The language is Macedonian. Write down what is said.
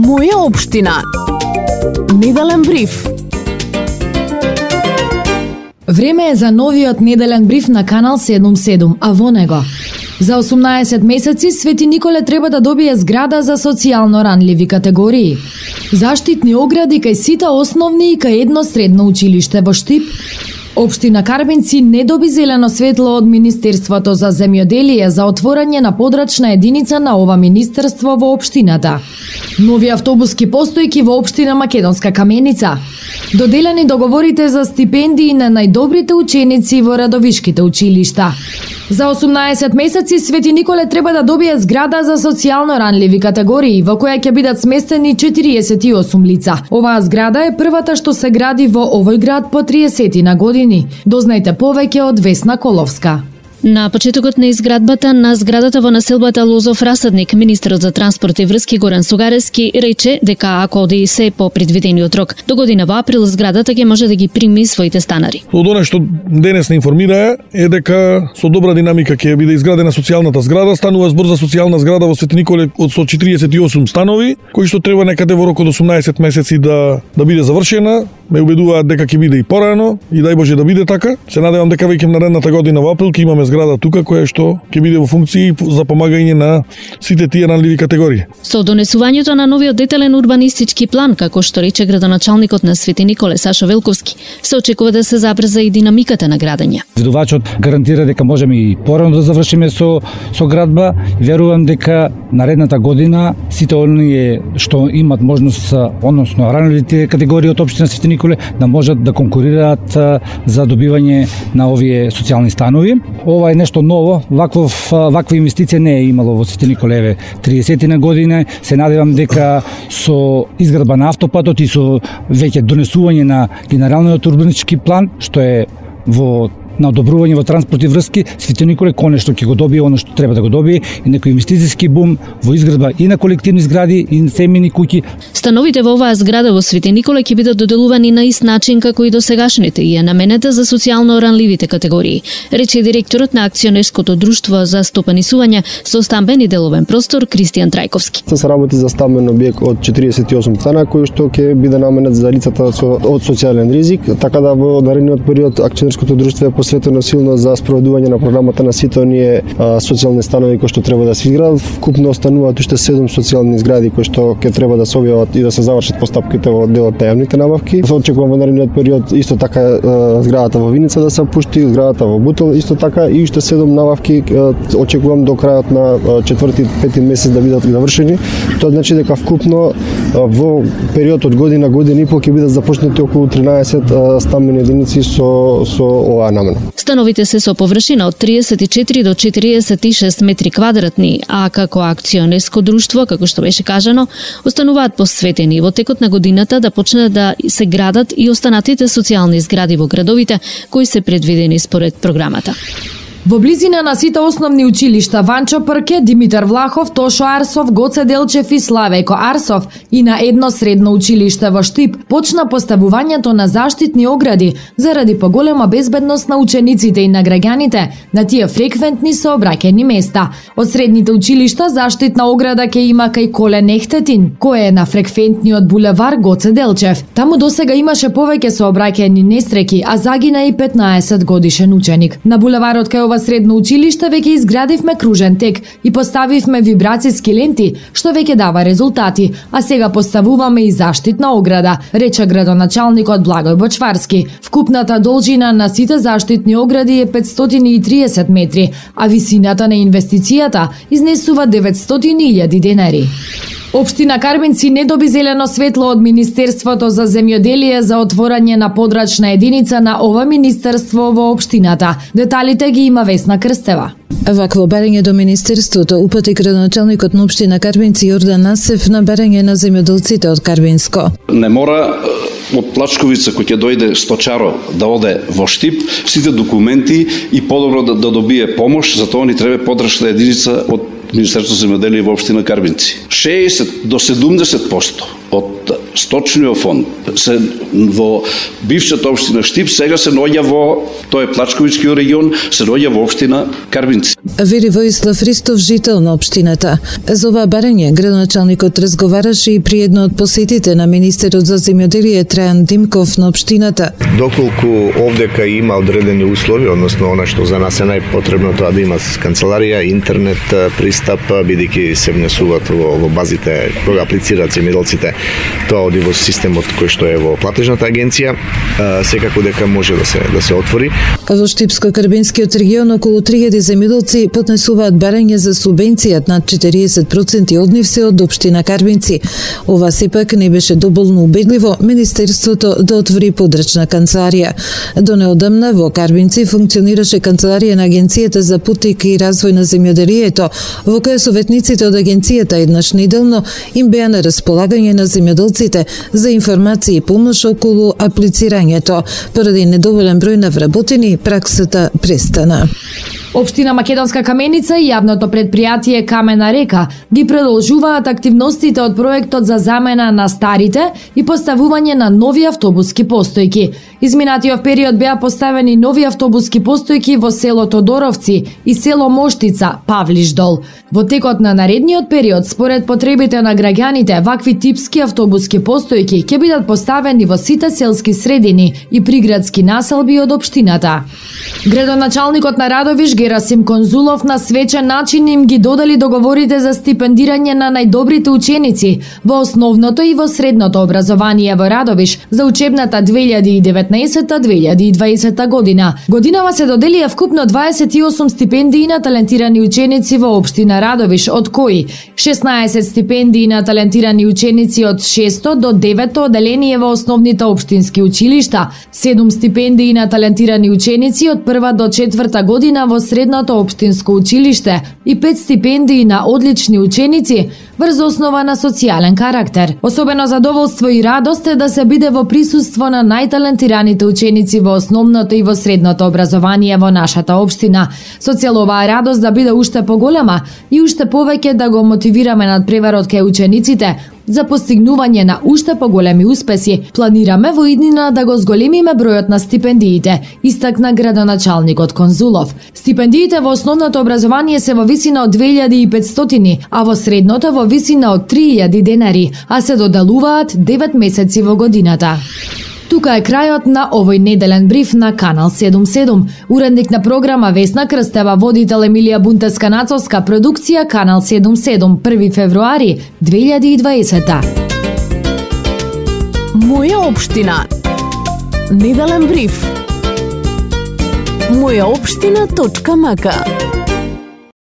Моја општина. Неделен бриф. Време е за новиот неделен бриф на Канал 77, а во него: за 18 месеци Свети Николе треба да добие зграда за социјално ранливи категории. Заштитни огради кај сите основни и кај едно средно училиште во Штип. Општина Карбинци не доби зелено светло од Министерството за земјоделие за отворање на подрачна единица на ова министерство во општината. Нови автобуски постојки во општина Македонска Каменица. Доделени договорите за стипендии на најдобрите ученици во радовишките училишта. За 18 месеци Свети Николе треба да добие зграда за социјално ранливи категории, во која ќе бидат сместени 48 лица. Оваа зграда е првата што се гради во овој град по 30 на години. Дознајте повеќе од Весна Коловска. На почетокот на изградбата на зградата во населбата Лозов Расадник, министерот за транспорт и врски Горан Сугарески рече дека ако оди се по предвидениот рок, до година во април зградата ќе може да ги прими своите станари. Од она што денес не информира е дека со добра динамика ќе биде изградена социјалната зграда. Станува збор за социјална зграда во Свети Николе од 148 станови, кои што треба некаде во рок од 18 месеци да биде завршена. Ме убедуваат дека ќе биде и порано и дај Боже да биде така. Се надевам дека веќе наредната година во април ќе имаме зграда тука која што ќе биде во функција за помагање на сите тие ранливи категории. Со донесувањето на новиот детален урбанистички план, како што рече градоначалникот на Свети Николе Сашо Велковски, се очекува да се забрза и динамиката на градење. Видувачот гарантира дека можеме и порано да завршиме со градба. Верувам дека наредната година сите оние што имат можност, односно ранливите категории од општина Свети Николе, да можат да конкурираат за добивање на овие социјални станови. Ова е нешто ново, ваква инвестиција не е имало во Свети Николе 30 на година. Се надевам дека со изградба на автопатот и со веќе донесување на генералниот урбанистички план, што е на одобрување во транспорт и врски, Свети Николе конечно ќе го добие оно што треба да го добие, и некој инвестициски бум во изградба и на колективни згради и на семејни куќи. Становите во оваа зграда во Свети Николе ќе бидат доделувани на ист начин како и досегашните и е наменета за социјално ранливите категории, рече директорот на акционерското друштво за стопанисување со стамбен и деловен простор Кристијан Трајковски. Се работи за стамбен објект од 48 стана кој што ќе биде наменет за лицата од социјален ризик, така да во наредниот период акционерското друштво е посветено силно за спроведување на програмата на сите оние социјални станови кои што треба да се изградат. Вкупно остануваат уште 7 социјални згради кои што ќе треба да се објават и да се завршат постапките во делот на јавните набавки. Очекувам во наредниот период исто така зградата во Виница да се пушти, зградата во Бутел исто така и уште 7 набавки очекувам до крајот на 4-5 месец да бидат завршени. Тоа значи дека вкупно во период од година и пол ќе бидат започнати околу 13 стамбени единици со оваа намена. Становите се со површина од 34 до 46 метри квадратни, а како акционерско друштво, како што беше кажано, остануваат посветени во текот на годината да почнат да се градат и останатите социјални згради во градовите кои се предвидени според програмата. Во близина на сите основни училишта Ванчо Прке, Димитар Влахов, Тошо Арсов, Гоце Делчев и Славејко Арсов и на едно средно училиште во Штип почна поставувањето на заштитни огради заради поголема безбедност на учениците и на граѓаните на тие фреквентни сообраќајни места. Од средните училишта заштитна ограда ќе има кај Колен Ехтетин, кој е на фреквентниот булевар Гоце Делчев. Таму досега имаше повеќе сообраќајни несреќи, а загина и 15 годишен ученик. На булеварот кај ова средно училиште веќе изградивме кружен тек и поставивме вибрацијски ленти, што веќе дава резултати, а сега поставуваме и заштитна ограда, рече градоначалникот Благој Бочварски. Вкупната должина на сите заштитни огради е 530 метри, а висината на инвестицијата изнесува 900.000 денари. Општина Карбинци не доби зелено светло од Министерството за земјоделие за отворање на подрачна единица на ова министерство во општината. Деталите ги има Весна Крстева. Вакво барање до Министерството упати градоначалникот на општина Карбинци Јордан Насев на барање на земјоделците од Карбинско. Не мора од Плачковица кој ќе дојде сточаро да оде во Штип, сите документи и подобро да добие помош, затоа ни треба подрачна единица од Министерството за земјоделие во општина Карбинци. 60 до 70% од сточниот фонд се во бившата општина Штип, сега се наоѓа во, тоа е Плачковичкиот регион, се наоѓа во општина Карбинци. Вери Воислав Ристов, жител на општината. За ова барање градоначалникот разговараше и при едно од посетите на министерот за земјоделие Трајан Димков на општината. Доколку овдека има одредени услови, односно она што за нас е најпотребно, тоа да има канцеларија, интернет пристап, бидејќи се внесуваат во базите кога аплицираат земјоделците, тоа оди во системот кој што е во платежната агенција, секако дека може да се отвори. Во Штипско-Карбинскиот регион околу 3000 земјоделци поднесуваат барање за субвенција, над 40% од нив се од општина Карбинци. Ова сепак не беше доволно убедливо Министерството да отвори подрачна канцеларија. До неодамна во Карбинци функционираше канцеларија на Агенцијата за политика и развој на земјоделието, во која советниците од агенцијата еднаш неделно им беа на располагање на земјоделците за информации и помош околу аплицирањето. Поради недоволен број на вработени, праксата престана. Општина Македонска Каменица и јавното предпријатие Камена река ги продолжуваат активностите од проектот за замена на старите и поставување на нови автобуски постојки. Изминатиот период беа поставени нови автобуски постојки во село Тодоровци и село Моштица, Павлишдол. Во текот на наредниот период, според потребите на граѓаните, вакви типски автобуски постојки ќе бидат поставени во сите селски средини и приградски населби од општината. Градоначалникот на Радовиш Герасим Конзулов на свечен начин им ги додели договорите за стипендирање на најдобрите ученици во основното и во средното образование во Радовиш за учебната 2019-2020 година. Годинава се доделија вкупно 28 стипендии на талентирани ученици во општина Радовиш, од кои 16 стипендии на талентирани ученици од 6 до 9 оделение во основните општински училишта, 7 стипендии на талентирани ученици од 1 до 4 година во средното општинско училиште и 5 стипендии на одлични ученици врз основа на социјален карактер. Особено задоволство и радост е да се биде во присуство на најталентираните ученици во основното и во средното образование во нашата општина. Со цел оваа радост да биде уште поголема и уште повеќе да го мотивираме надпреварот кај учениците за постигнување на уште поголеми успеси, планираме во иднина да го зголемиме бројот на стипендиите, истакна градоначалникот Конзулов. Стипендиите во основното образование се во висина од 2500, а во средното во висина од 3000 денари, а се доделуваат 9 месеци во годината. Тука е крајот на овој неделен бриф на Канал 77. Уредник на програма Весна Крстева, водител Емилија Бунтеска-Нацовска, продукција Канал 77, 1 февруари 2020. Моја општина. Неделен бриф. Мојаопштина.мк